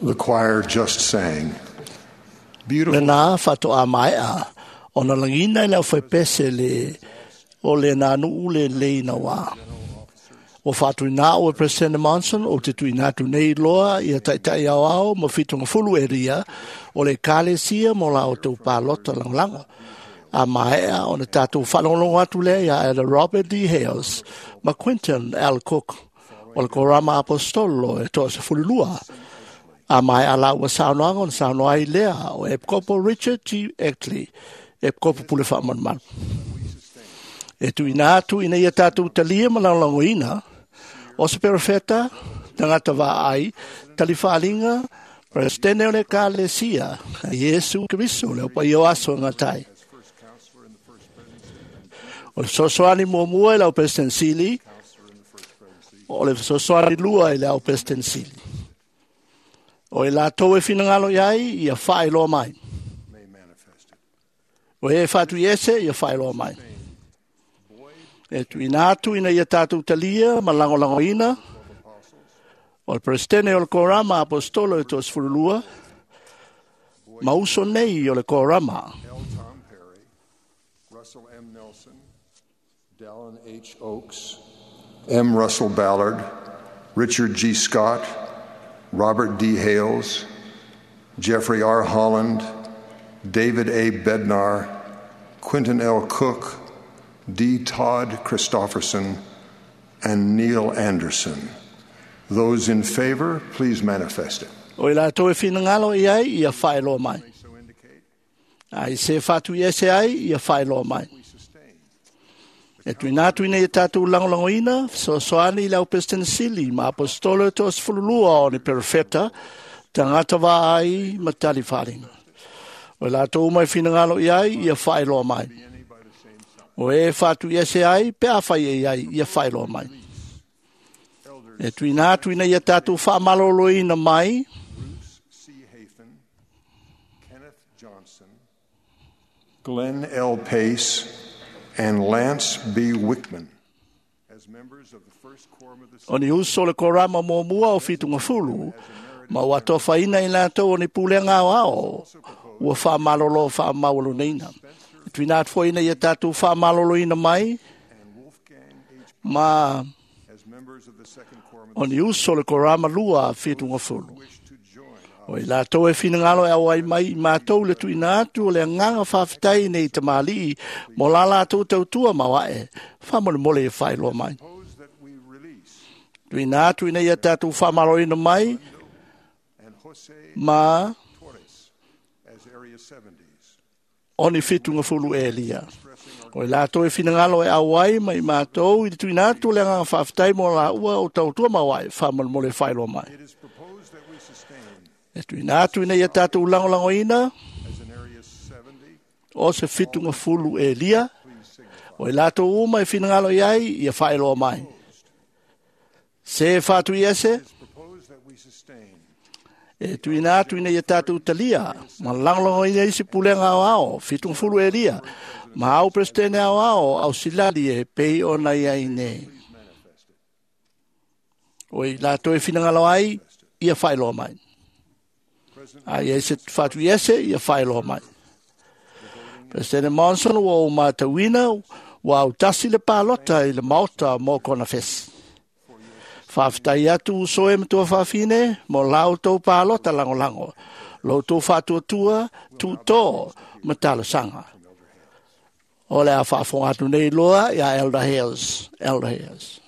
The choir just sang. Beautiful. Lena faatoa maea ona lagiina i le aufaipese le o le nanuu lelei nauā. Ua faatuina a'u e Peresetene Monson ou te tuuina atu nei loa ia taʻitaʻi aoao ma fitugafulu eria o le Ekalesia mo la outou palota lagolago. A maea ona tatou faalogologo atu lea iā Elder Robert D. Hales ma Quentin L. Cook o le Korama Aposetolo e 12. A maea lāua saunoaga ona saunoa ai lea o Epikopo Richard G. Eckley, Epikopo Pule Faamalumalu. E tuuina atu ina ia tatou talia ma lagolagoina o se perofeta, tagata vaai, talifaaliga, Peresetene o le Ekalesia, Iesu Keriso le Opaia o aso e gata ai. O le fesoasoani muamua i le au Peresetene Sili, o le fesoasoani lua i le au Peresetene Sili. O i latou e finagalo i ai, ia faailoa mai. O e faatuiese, ia faailoa mai. E tuuina atu ina ia tatou talia ma lagolagoina o le Peresetene o le Korama Aposetolo e 12 ma uso nei o le Korama. L. Tom Perry, Russell M. Nelson, Dallin H. Oaks, M. Russell Ballard, Richard G. Scott, Robert D. Hales, Jeffrey R. Holland, David A. Bednar, Quentin L. Cook, D. Todd Christofferson, and Neil Anderson. Those in favor, please manifest it. O i latou e finagalo i ai, ia faailoa mai. So indicate A i se faatuiese ai, ia faailoa mai. we sustain. E tuuina atu ina ia tatou lagolagoina, fesoasoani i le au Peresetene Sili ma Aposetolo e 12 o ni perofeta, tagata vaai ma talifaaliga. O i latou uma e finagalo i ai, ia faailoa mai. Be any by the same sign. O e faatuiese ai, pe afai e i ai, ia faailoa mai. Elders E tuuina atu ina ia tatou faamaloloina mai, Bruce C. Hafen, Kenneth Johnson, Glenn L. Pace, and Lance B. Wickman as members of the first quorum of the o ni uso o le korama muamua o fitugafulu, ma ua atofaina i latou o ni pulega aoao, ua faamalolo faamaualunaina. E tuuina atu foi ina ia tatou faamaloloina mai, and Wolfgang H. ma as members of the second quorum of o ni uso o le korama lua fitugafulu. the wish to join O i latou e finagalo e auai mai i matou le tuuina atu o le agaga faafetai nei tamalii mo la latou tautua maoae, faamolemole e faailoa mai. propose that we release Tuuina atu ina ia tatou faamaloloina mai and Jose ma Torres as Area 70s, o ni fitugafulu elia. expressing our O i latou e finagalo e auai mai i matou i le tuuina atu o le agaga faafetai mo la ua o tautua maoae, faamolemole e faailoa mai. It is proposed that we sustain E tuuina atu ina ia tatou lagolagoina as an Area 70, o se fitugafulu elia, please signify. o i latou uma e finagalo i ai, ia faailoa mai. Se faatuiese, It is proposed that we sustain e tuuina atu ina ia tatou talia, ma lagolagoina isi pulega aoao, fitugafulu elia, ma au Peresetene aoao, au silali e pei ona i ai nei. please manifest it. O i latou e finagalo ai, ia faailoa mai. President A ia se faatuiese, ia faailoa mai. President Monson ua ou matauina, ua autasi le palota i le maota mo kona fesi. Faafetai atu uso e matua faafine mo la outou palota lagolago, lo outou faatuatua, tuutō ma talosaga. O le a faafofoga atu nei loa ia Elder Hales, Elder Hales.